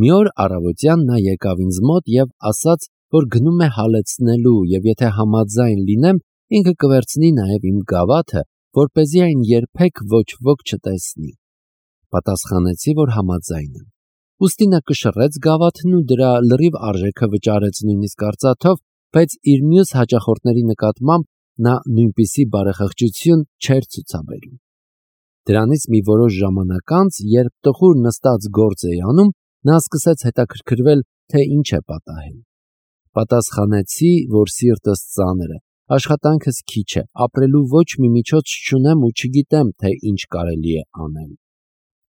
Մի օր առավոտյան նա եկավ ինձ մոտ և ասաց, որ գնում է հալեցնելու և եթե համաձայն լինեմ, ինքը կվերցնի նաև իմ գավաթը, որպեսզի այն երբեք ոչ ոք չտեսնի։ Պատասխանեցի, որ համաձայն եմ։ Ուստի նա կշռեց գավաթն ու դրա լրիվ արժեքը վճարեց նույնիսկ արծաթով, բայց իր մյուս հաճախորդների նկատմամբ նա նույնպիսի բարեխղճություն չէր ցուցաբերում։ Դրանից մի որոշ ժամանակ անց, երբ տխուր նստած գործ էի անում, նա սկսեց հետաքրքրվել, թե ինչ է պատահել։ Պատասխանեցի, որ սիրտս ծանր է, աշխատանքս քիչ է, ապրելու ոչ մի միջոց չունեմ ու չգիտեմ, թե ինչ կարելի է անել։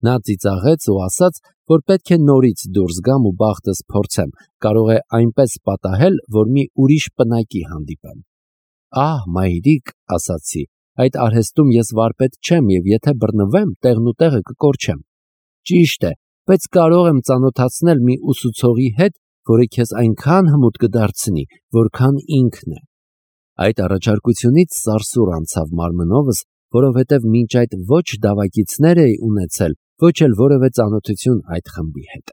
Նա ծիծաղեց ու ասաց, որ պետք է նորից դուրս գամ ու բախտս փորձեմ, կարող է այնպես պատահել, որ մի ուրիշ պնակի հանդիպեմ։ Ահ, մայրիկ, ասացի, այդ արհեստում ես վարպետ չեմ և եթե բռնվեմ, տեղն ու տեղը կկորչեմ։ Ճիշտ է, բայց կարող եմ ծանոթացնել մի ուսուցողի հետ, որը քեզ այնքան հմուտ կդարձնի, որքան ինքն է։ Այդ առաջարկությունից սարսուռ անցավ մարմնովս, որովհետև մինչ այդ ոչ դավակիցներ էի ունեցել, ոչ էլ որևէ ծանոթություն այդ խմբի հետ։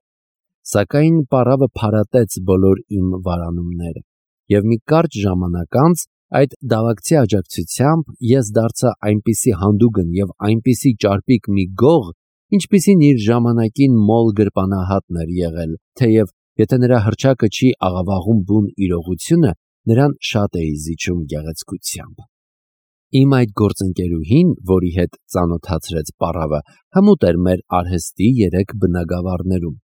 Սակայն պառավը փարատեց բոլոր իմ վարանումները, և մի կարճ ժամանակ անց այդ դավակցի աջակցությամբ ես դարձա այնպիսի հանդուգն և այնպիսի ճարպիկ մի գող, ինչպիսին իր ժամանակին մոլ գրպանահատն էր եղել, թեև եթե նրա հռչակը չի աղավաղում բուն իրողությունը, նրան շատ էի զիջում գեղեցկությամբ։ Իմ այդ գործընկերուհին, որի հետ ծանոթացրեց պառավը, հմուտ էր մեր արհեստի 3 բնագավառներում.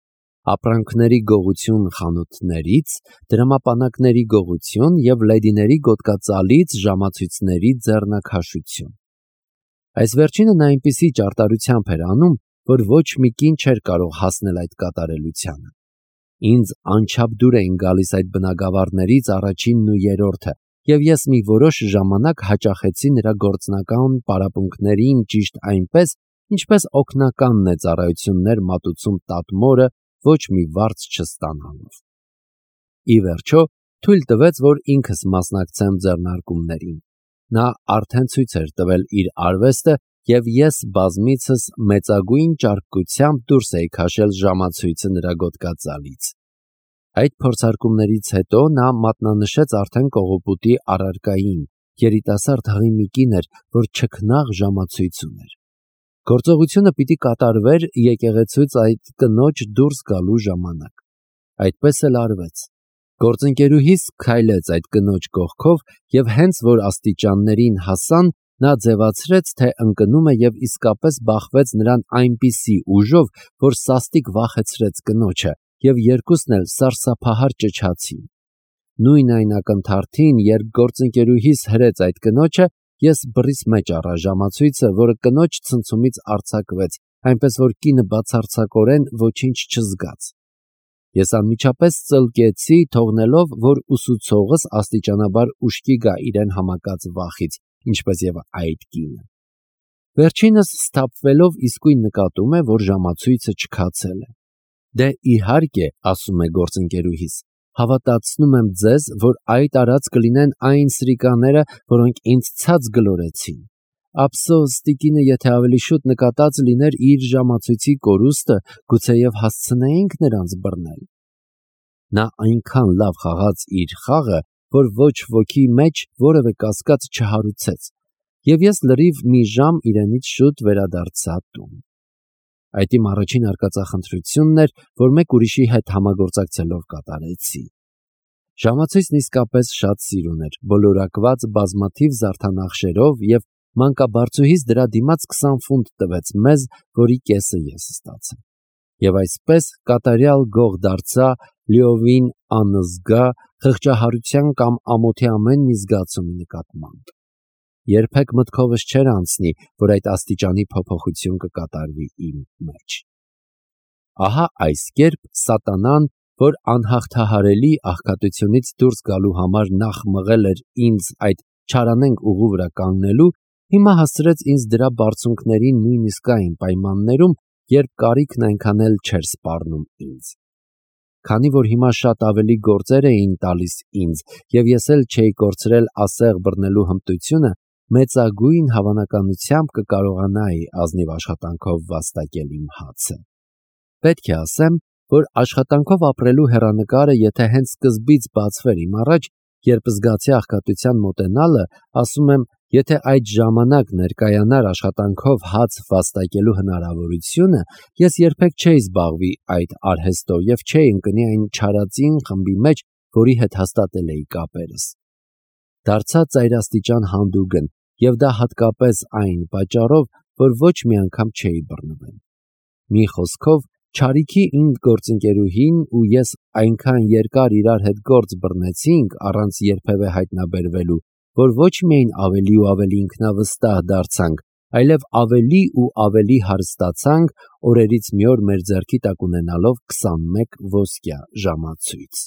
ապրանքների գողություն խանութներից, դրամապանակների գողություն և լեդիների գոտկածալից ժամացույցների ձեռնաքաշություն։ Այս վերջինը նա այնպիսի ճարտարությամբ էր անում, որ ոչ մի կին չէր կարող հասնել այդ կատարելությանը։ Ինձ անչափ դուր էին գալիս այդ բնագավառներից առաջինն ու երրորդը, և ես մի որոշ ժամանակ հաճախեցի նրա գործնական պարապմունքներին ճիշտ այնպես, ինչպես օգնականն է ծառայություններ մատուցում տատմորը ոչ մի վարձ չստանալով։ Ի վերջո, թույլ տվեց, որ ինքս մասնակցեմ ձեռնարկումներին։ Նա արդեն ցույց էր տվել իր արվեստը, և ես բազմիցս մեծագույն ճարպկությամբ դուրս էի քաշել ժամացույցը նրա գոտկածալից։ Այդ փորձարկումներից հետո նա մատնանշեց արդեն կողոպուտի առարկային, երիտասարդ հղի մի կին էր, որ չքնաղ ժամացույց ուներ։ Գործողությունը պիտի կատարվեր եկեղեցուց այդ կնոջ դուրս գալու ժամանակ։ Այդպես էլ արվեց։ Գործընկերուհիս քայլեց այդ կնոջ կողքով և հենց որ աստիճաններին հասան, նա ձևացրեց, թե ընկնում է և իսկապես բախվեց նրան այնպիսի ուժով, որ սաստիկ վախեցրեց կնոջը, և երկուսն էլ սարսափահար ճչացին։ Նույն այն ակնթարթին, երբ գործընկերուհիս հրեց այդ կնոջը, ես բռիս մեջ առա ժամացույցը, որը կնոջ ցնցումից արձակվեց, այնպես որ կինը բացարձակորեն ոչինչ չզգաց։ Ես անմիջապես ծլկեցի, թողնելով, որ ուսուցողս աստիճանաբար ուշքի գա իրեն համակած վախից, ինչպես և այդ կինը։ Վերջինս սթափվելով իսկույն նկատում է, որ ժամացույցը չքացել է։ Դե իհարկե, ասում է գործընկերուհիս, հավատացնում եմ ձեզ, որ այդ արած կլինեն այն սրիկաները, որոնք ինձ ցած գլորեցին։ Ափսոս, տիկինը եթե ավելի շուտ նկատած լիներ իր ժամացույցի կորուստը, գուցեև հասցնեինք նրանց բռնել։ Նա այնքան լավ խաղաց իր խաղը, որ ոչ ոքի մեջ որևէ կասկած չհարուցեց, և ես լրիվ մի ժամ իրենից շուտ վերադարձա տուն։ Այդ իմ առաջին արկածախնդրությունն էր, որ մեկ ուրիշի հետ համագործակցելով կատարեցի։ Ժամացույցն իսկապես շատ սիրուն էր, բոլորակված բազմաթիվ զարդանախշերով և մանկաբարձուհիս դրա դիմաց 20 ֆունտ տվեց մեզ, որի կեսը ես ստացա։ Եվ այսպես կատարյալ գող դարձա լիովին անզգա խղճահարության կամ ամոթի ամեն մի զգացումի նկատմամբ։ Երբեք մտքովս չէր անցնի, որ այդ աստիճանի փոփոխություն կկատարվի իմ մեջ։ Ահա այս կերպ սատանան, որ անհաղթահարելի աղքատությունից դուրս գալու համար նախ մղել էր ինձ այդ չարանենգ ուղու վրա կանգնելու, հիմա հասցրեց ինձ դրա բարձունքներին նույնիսկ այն պայմաններում, երբ կարիքն այնքան էլ չէր սպառնում ինձ։ Քանի որ հիմա շատ ավելի գործեր էին տալիս ինձ, և ես էլ չէի կորցրել ասեղ բռնելու հմտությունը, մեծագույն հավանականությամբ կկարողանայի ազնիվ աշխատանքով վաստակել իմ հացը։ Պետք է ասեմ, որ աշխատանքով ապրելու հեռանկարը եթե հենց սկզբից բացվեր իմ առաջ, երբ զգացի աղքատության մոտենալը, ասում եմ, եթե այդ ժամանակ ներկայանար աշխատանքով հաց վաստակելու հնարավորությունը, ես երբեք չէի զբաղվի այդ արհեստով և չէի ընկնի այն չարածին խմբի մեջ, որի հետ հաստատել էի կապերս։ Դարձա ծայրաստիճան հանդուգն, և դա հատկապես այն պատճառով, որ ոչ մի անգամ չէի բռնվել։ Մի խոսքով, չարիքի իմ գործընկերուհին ու ես այնքան երկար իրար հետ գործ բռնեցինք առանց երբևէ հայտնաբերվելու, որ ոչ միայն ավելի ու ավելի ինքնավստահ դարձանք, այլև ավելի ու ավելի հարստացանք, օրերից մի օր մեր ձեռքի տակ ունենալով 21 ոսկյա ժամացույց։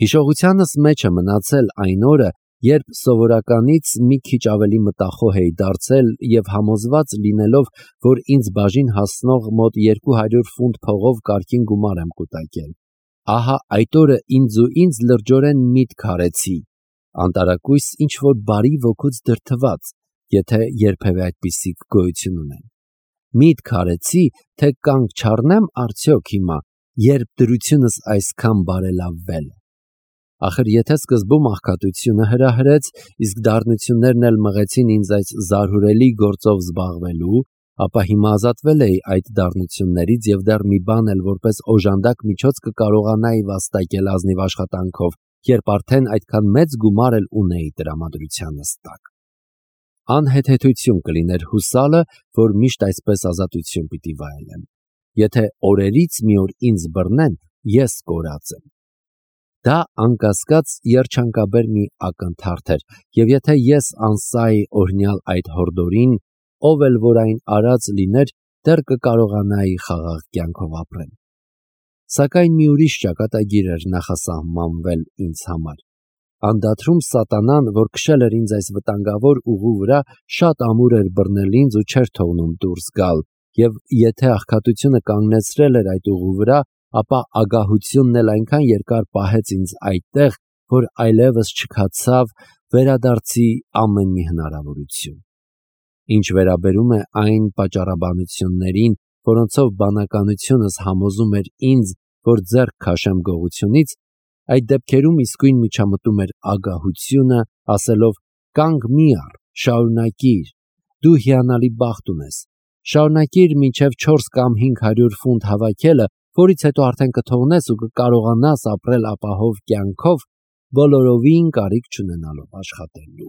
Հիշողությանս մեջ է մնացել այն օրը, երբ սովորականից մի քիչ ավելի մտախոհ էի դարձել և համոզված լինելով, որ ինձ բաժին հասնող մոտ 200 ֆունտ փողով կարգին գումար եմ կուտակել։ Ահա այդ օրը ինձ լրջորեն միտք արեցի, անտարակույս ինչ-որ բարի ոգուց դրդված, եթե երբևէ այդպիսիք գոյություն ունեն։ Միտք արեցի, թե կանգ չառնեմ արդյոք հիմա, երբ դրությունս այսքան բարելավվել է։ Ախր եթե սկզբում աղքատությունը հրահրեց, իսկ դառնություններն էլ մղեցին ինձ այս զարհուրելի գործով զբաղվելու, ապա հիմա ազատվել էի այդ դառնություններից և դեռ մի բան էլ որպես օժանդակ միջոց կկարողանայի վաստակել ազնիվ աշխատանքով, երբ արդեն այդքան մեծ գումար էլ ունեի տրամադրությանս տակ։ Անհեթեթություն կլիներ հուսալը, որ միշտ այսպես ազատություն պիտի վայելեմ։ Եթե օրերից մի օր ինձ բռնեն, ես կորած եմ։ Դա անկասկած երջանկաբեր մի ակնթարթ էր, և եթե ես անսայի օրհնյալ այդ հորդորին, ով էլ որ այն արած լիներ, դեռ կկարողանայի խաղաղ կյանքով ապրել։ Սակայն մի ուրիշ ճակատագիր էր նախասահմանվել ինձ համար։ Անդադրում սատանան, որ քշել էր ինձ այս վտանգավոր ուղու վրա, շատ ամուր էր բռնել ինձ ու չէր թողնում դուրս գալ, և եթե աղքատությունը կանգնեցրել էր այդ ուղու վրա, ապա ագահությունն էլ այնքան երկար պահեց ինձ այդտեղ, որ այլևս չքացավ վերադարձի ամեն մի հնարավորություն։ Ինչ վերաբերում է այն պատճառաբանություններին, որոնցով բանականությունս համոզում էր ինձ, որ ձեռք քաշեմ գողությունից, այդ դեպքերում իսկույն միջամտում էր ագահությունը, ասելով. «Կանգ մի առ, շարունակիր, դու հիանալի բախտ ունես, շարունակիր մինչև 4 կամ 500 ֆունտ հավաքելը, որից հետո արդեն կթողնես ու կկարողանաս ապրել ապահով կյանքով, բոլորովին կարիք չունենալով աշխատելու»։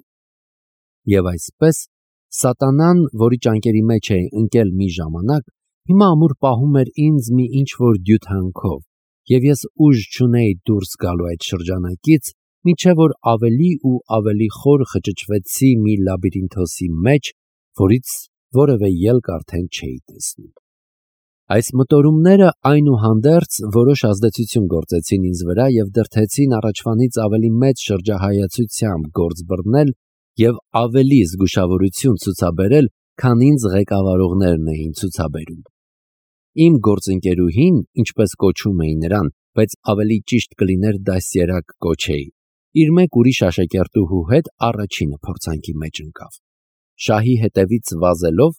Եվ այսպես, սատանան, որի ճանկերի մեջ էի ընկել մի ժամանակ, հիմա ամուր պահում էր ինձ մի ինչ-որ դյութանքով, և ես ուժ չունեի դուրս գալու այդ շրջանակից, մինչև որ ավելի ու ավելի խոր խճճվեցի մի լաբիրինթոսի մեջ, որից որևէ ելք արդեն չէի տեսնում։ Այս մտորումները այնուհանդերձ որոշ ազդեցություն գործեցին ինձ վրա և դրդեցին առաջվանից ավելի մեծ շրջահայացությամբ գործ բռնել և ավելի զգուշավորություն ցուցաբերել, քան ինձ ղեկավարողներն էին ցուցաբերում։ Իմ գործընկերուհին, ինչպես կոչում էի նրան, բայց ավելի ճիշտ կլիներ դաստիարակ կոչեի, իր մեկ ուրիշ աշակերտուհու հետ առաջինը փորձանքի մեջ ընկավ։ Շահի հետևից վազելով,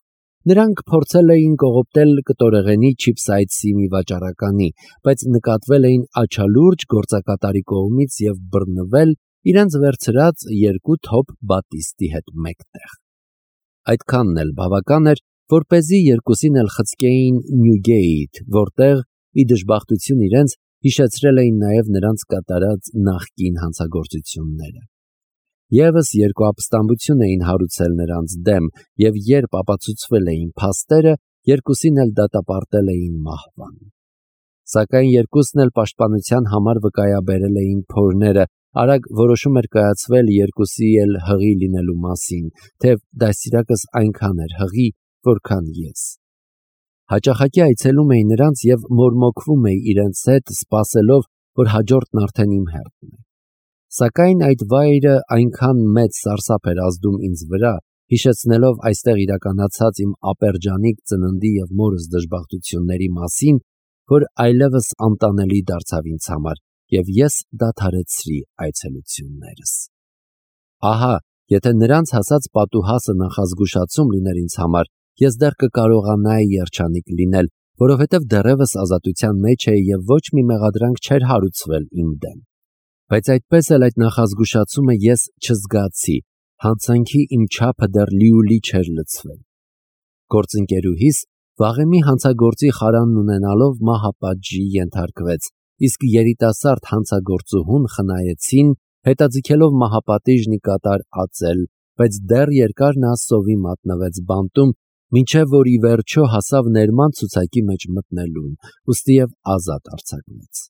նրանք փորձել էին կողոպտել կտորեղենի չիփսայցի մի վաճառականի, բայց նկատվել էին աչալուրջ գործակատարի կողմից և բռնվել իրենց վերցրած 2 թոփ բատիստի հետ մեկտեղ։ Այդքանն էլ բավական էր, որպեսզի երկուսին էլ խցկեին Նյուգեիթ, որտեղ, ի դժբախտություն իրենց, հիշեցրել էին նաև նրանց կատարած նախկին հանցագործությունները։ Եվս 2 ապստամբություն էին հարուցել նրանց դեմ, և երբ ապացուցվել էին փաստերը, երկուսին էլ դատապարտել էին մահվան։ Սակայն երկուսն էլ պաշտպանության համար վկայաբերել էին փորները, արագ որոշում էր կայացվել երկուսի էլ հղի լինելու մասին, թեև դաստիարակս այնքան էր հղի, որքան ես։ Հաճախակի այցելում էի նրանց և մորմոքվում էի իրենց հետ, սպասելով, որ հաջորդն արդեն իմ հերթն է։ Սակայն այդ վայրը այնքան մեծ սարսափ էր ազդում ինձ վրա, հիշեցնելով այստեղ իրականացած իմ ապերջանիկ ծննդի և մորս դժբախտությունների մասին, որ այլևս անտանելի դարձավ ինձ համար, և ես դադարեցրի այցելություններս։ Ահա, եթե նրանց հասած պատուհասը նախազգուշացում լիներ ինձ համար, ես դեռ կկարողանայի երջանիկ լինել, որովհետև դեռևս ազատության մեջ էի և ոչ մի մեղադրանք չէր հարուցվել իմ դեմ։ Բայց այդպես էլ այդ նախազգուշացումը ես չզգացի, հանցանքի իմ չափը դեռ լիուլի չէր լցվել։ Գործընկերուհիս վաղեմի հանցագործի խարանն ունենալով մահապատժի ենթարկվեց, իսկ երիտասարդ հանցագործուհուն խնայեցին, հետաձգելով մահապատիժն ի կատար ածել, բայց դեռ երկար նա սովի մատնվեց բանտում, մինչև որ ի վերջո հասավ ներման ցուցակի մեջ մտնելուն, ուստի և ազատ արձակվեց։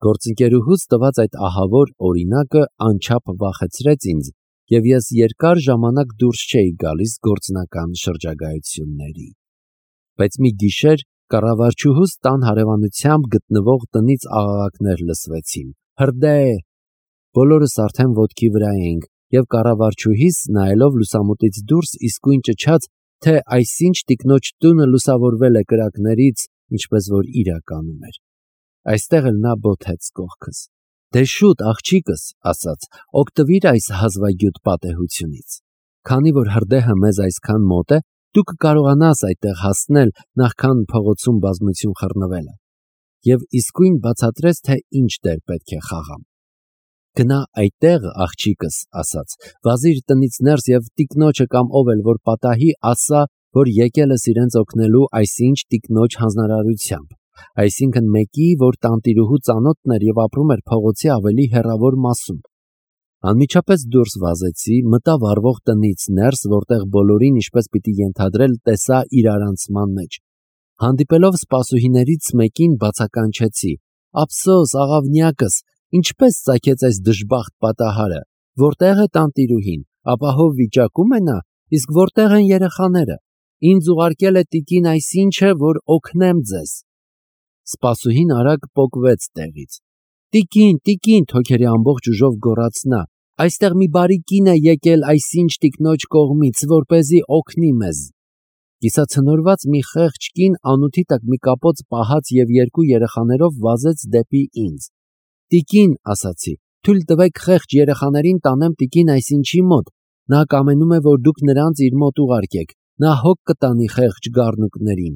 Գործընկերուհուց տված այդ ահավոր օրինակը անչափ վախեցրեց ինձ, և ես երկար ժամանակ դուրս չէի գալիս գործնական շրջագայությունների։ Բայց մի գիշեր կառավարչուհուս տան հարևանությամբ գտնվող տնից աղաղակներ լսվեցին. «Հրդե»։ Բոլորս արդեն ոտքի վրա էինք, և կառավարչուհիս, նայելով լուսամուտից դուրս, իսկույն ճչաց, թե այսինչ տիկնոջ տունը լուսավորվել է կրակներից, ինչպես որ իրականում էր։ Այստեղ էլ նա բոթեց կողքս։ «Դե շուտ, աղջիկս», ասաց, «օգտվիր այս հազվագյուտ պատեհությունից։ Քանի որ հրդեհը մեզ այսքան մոտ է, դու կկարողանաս այդտեղ հասնել, նախքան փողոցում բազմություն խռնվելը»։ Եվ իսկույն բացատրեց, թե ինչ դեր պետք է խաղամ։ «Գնա այդտեղ, աղջիկս», ասաց, «վազիր տնից ներս և տիկնոջը կամ ով էլ որ պատահի, ասա, որ եկել ես իրենց օգնելու այսինչ տիկնոջ հանձնարարությամբ, այսինքն մեկի, որ տանտիրուհու ծանոթն էր և ապրում էր փողոցի ավելի հեռավոր մասում»։ Անմիջապես դուրս վազեցի, մտա վառվող տնից ներս, որտեղ բոլորին, ինչպես պիտի ենթադրել, տեսա իրարանցման մեջ։ Հանդիպելով սպասուհիներից մեկին, բացականչեցի. «Ափսոս, աղավնյակս, ինչպես ծագեց այս դժբախտ պատահարը, որտեղ է տանտիրուհին, ապահով վիճակում է նա, իսկ որտեղ են երեխաները, ինձ ուղարկել է տիկին այսինչը, որ օգնեմ ձեզ»։ Սպասուհին արագ պոկվեց տեղից։ Տիկին, թոքերի ամբողջ ուժով գոռաց նա, «այստեղ մի բարի կին է եկել այսինչ տիկնոջ կողմից, որպեսզի օգնի մեզ»։ Կիսացնորված մի խեղճ կին անութի տակ մի կապոց պահած և երկու երեխաներով վազեց դեպի ինձ։ «Տիկին», ասացի, «թույլ տվեք խեղճ երեխաներին տանեմ տիկին այսինչի մոտ, նա կամենում է, որ դուք նրանց իր մոտ ուղարկեք, նա հոգ կտանի խեղճ գառնուկներին»։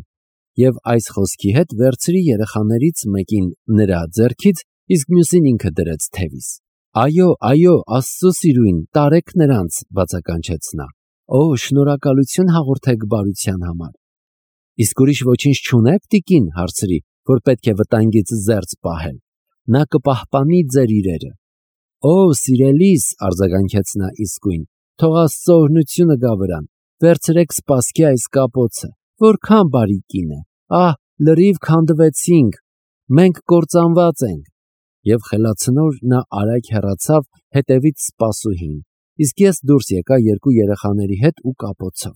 Եվ այս խոսքի հետ վերցրի երեխաներից մեկին նրա ձեռքից, իսկ մյուսին ինքը դրեց թևիս։ «Այո, Աստծո սիրույն, տարեք նրանց», բացականչեց նա։ «Օ, շնորհակալություն հաղորդեք բարության համար»։ «Իսկ ուրիշ ոչինչ չունե՞ք, տիկին», հարցրի, «որ պետք է վտանգից զերծ պահել։ Նա կպահպանի ձեր իրերը»։ «Օ, սիրելիս», արձագանքեց նա իսկույն, «թող Աստծո օրհնությունը գա վրան, վերցրեք սպասքի այս կապոցը, որքան բարի կին է, ահ, լրիվ քանդվեցինք, մենք կործանված ենք»։ Եվ խելացնոր նա արագ հեռացավ, հետևից սպասուհին, իսկ ես դուրս եկա երկու երեխաների հետ ու կապոցով։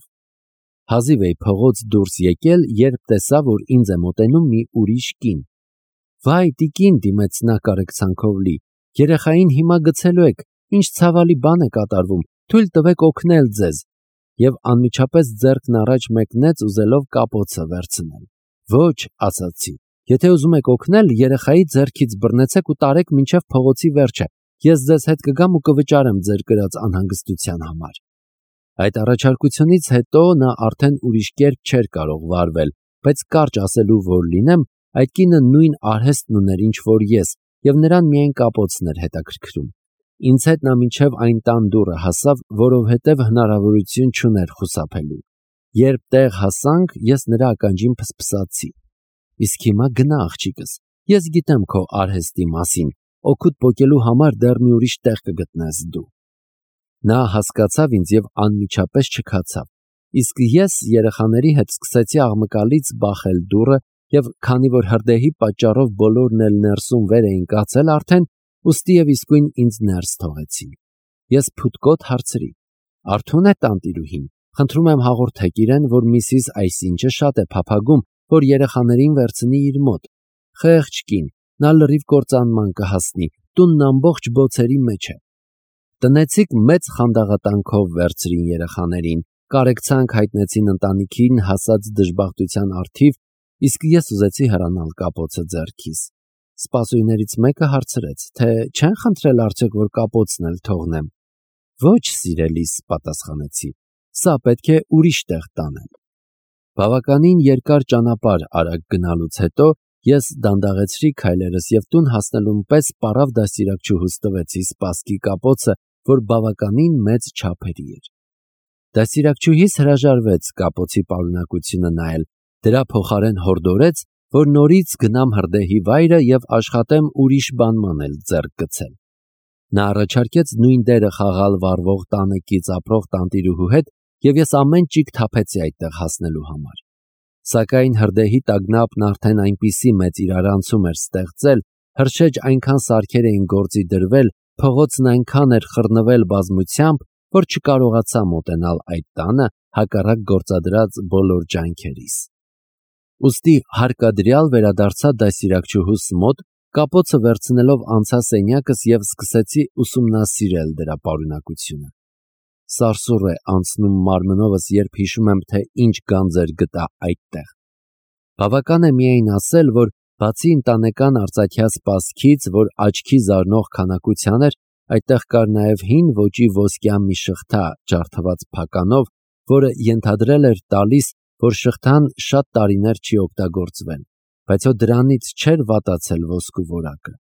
Հազիվ էի փողոց դուրս եկել, երբ տեսա, որ ինձ է մոտենում մի ուրիշ կին։ «Վայ, տիկին», դիմեց նա կարեկցանքով լի, «երեխային հիմա գցելու եք, ինչ ցավալի բան է կատարվում, թույլ տվեք օգնել ձեզ»։ Եվ անմիջապես ձեռքն առաջ մեկնեց, ուզելով կապոցը վերցնել։ «Ոչ», ասացի, «եթե ուզում եք օգնել, երեխայի ձեռքից բռնեցեք ու տարեք մինչև փողոցի վերջը, ես ձեզ հետ կգամ ու կվճարեմ ձեր կրած անհանգստության համար»։ Այդ առաջարկությունից հետո նա արդեն ուրիշ կերպ չէր կարող վարվել, բայց կարճ ասելու որ լինեմ, այդ կինը նույն արհեստն ուներ, ինչ որ ես, և նրան միայն կապոցն էր հետաքրքրում։ Ինձ հետ նա մինչև այն տան դուռը հասավ, որովհետև հնարավորություն չուներ խուսափելու։ Երբ տեղ հասանք, ես նրա ականջին փսփսացի. «Իսկ հիմա գնա, աղջիկս, ես գիտեմ քո արհեստի մասին, օգուտ պոկելու համար դեռ մի ուրիշ տեղ կգտնես դու»։ Նա հասկացավ ինձ և անմիջապես չքացավ, իսկ ես երեխաների հետ սկսեցի աղմկալից բախել դուռը, և քանի որ հրդեհի պատճառով բոլորն էլ ներսում վեր էին կացել արդեն, ուստի և իսկույն ինձ ներս թողեցին։ Ես փութկոտ հարցրի. «Արթո՞ւն է տանտիրուհին, խնդրում եմ հաղորդեք իրեն, որ միսիս այսինչը շատ է փափագում, որ երեխաներին վերցնի իր մոտ։ Խեղճ կին, նա լրիվ կործանման կհասնի, տունն ամբողջ բոցերի մեջ է»։ Տնեցիք մեծ խանդաղատանքով վերցրին երեխաներին, կարեկցանք հայտնեցին ընտանիքին հասած դժբախտության առթիվ, իսկ ես ուզեցի հեռանալ կապոցը ձեռքիս։ Սպասուհիներից մեկը հարցրեց, թե չեն խնդրել արդյոք, որ կապոցն էլ թողնեմ։ «Ոչ, սիրելիս», պատասխանեցի, «սա պետք է ուրիշ տեղ տանել»։ Բավականին երկար ճանապարհ արագ գնալուց հետո ես դանդաղեցրի քայլերս եւ տուն հասնելուն պես պարավ դաստիարակչուհուս տվեցի սպասքի կապոցը, որ բավականին մեծ չափերի էր։ Դաստիարակչուհիս հրաժարվեց կապոցի պարունակությունը նայել, դրա փոխարեն հորդորեց, որ նորից գնամ հրդեհի վայրը եւ աշխատեմ ուրիշ բանման էլ ձեռք գցել։ Նա առաջարկեց նույն դերը խաղալ վառվող տանեկից ապրող տանտիրուհու հետ եւ ես ամեն ճիգ թափեցի այդտեղ հասնելու համար։ Սակայն հրդեհի տագնապն արդեն այնպիսի մեծ իրարանցում էր ստեղծել, հրշեջ այնքան սարքեր էին գործի դրվել, փողոցն այնքան էր խռնվել բազմությամբ, որ չկարողացա մոտենալ այդ տանը հակառակ գործադրած բոլոր ջանքերիս։ Ուստի հարկադրյալ վերադարձա դաստիարակչուհուս մոտ, կապոցը վերցնելով անցա սենյակս եւ սկսեցի ուսումնասիրել դրա պարունակությունը։ Սարսուռ է անցնում մարմնովս, երբ հիշում եմ, թե ինչ գանձեր գտա այդտեղ։ Բավական է միայն ասել, որ բացի ընտանեկան արծաթյա սպասքից, որ աչքի զարնող քանակության էր, այդտեղ կար նաև հին ոճի ոսկյա մի շղթա ջարդված փականով, որը ենթադրել էր տալիս, որ շղթան շատ տարիներ չի օգտագործվել, բայց հո դրանից չէր վատացել ոսկու որակը։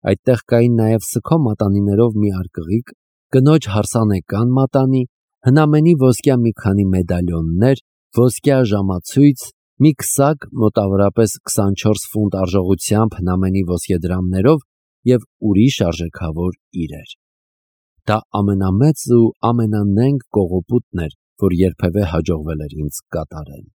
Այդտեղ կային նաև սքո մատանիներով մի արկղիկ, կնոջ հարսանեկան մատանի, հնամենի ոսկյա մի քանի մեդալյոններ, ոսկյա ժամացույց, մի քսակ մոտավորապես 24 ֆունտ արժողությամբ հնամենի ոսկեդրամներով եւ ուրիշ արժեքավոր իրեր։ Դա ամենամեծ ու ամենանենգ կողոպուտն էր, որ երբևէ հաջողվել էր ինձ կատարել։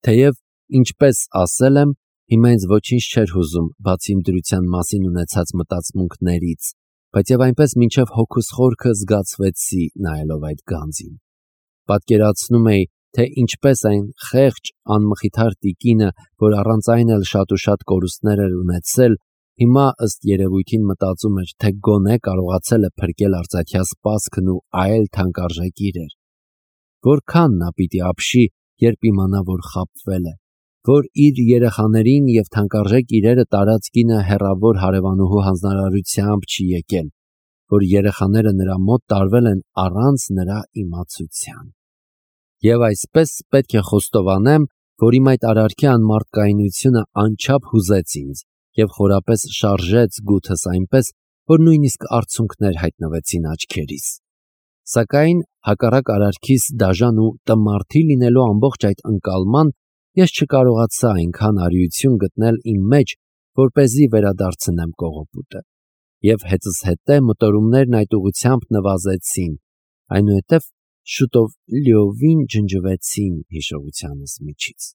Թեև, ինչպես ասել եմ, հիմա ինձ ոչինչ չէր հուզում, բացի իմ դրության մասին ունեցած մտածմունքներից, բայց եւ այնպես մինչև հոգուս խորքը զգացվեցի նայելով այդ գանձին։ Պատկերացնում էի, թե ինչպես այն խեղճ անմխիթար տիկինը, որ առանց այն էլ շատ ու շատ կորուստներ էր ունեցել, հիմա ըստ երևույթին մտածում էր, թե գոնե կարողացել է փրկել արծաթյա սպասքն ու այլ թանկարժեք իրեր։ Որքան նա պիտի ապշի, երբ իմանա, որ խաբվել է, որ իր երեխաներին եւ թանկարժեք իրերը տարած կինը հեռավոր հարևանուհու հանձնարարությամբ չի եկել, որ երեխաները նրա մոտ տարվել են առանց նրա իմացության։ Եվ այսպես պետք է խոստովանեմ, որ իմ այդ արարքի անմարդկայնությունը անչափ հուզեց ինձ եւ խորապես շարժեց գութս այնպես, որ նույնիսկ արցունքներ հայտնվեցին աչքերիս։ Սակայն հակառակ արարքիս դաժան ու տմարդի լինելու ամբողջ այդ ընկալման ես չկարողացա այնքան արիություն գտնել իմ մեջ, որպեսզի վերադարձնեմ կողոպուտը։ Եվ հետզհետե մտորումներն այդ ուղղությամբ նվազեցին, այնուհետև շուտով լիովին ջնջվեցին հիշողությանս միջից։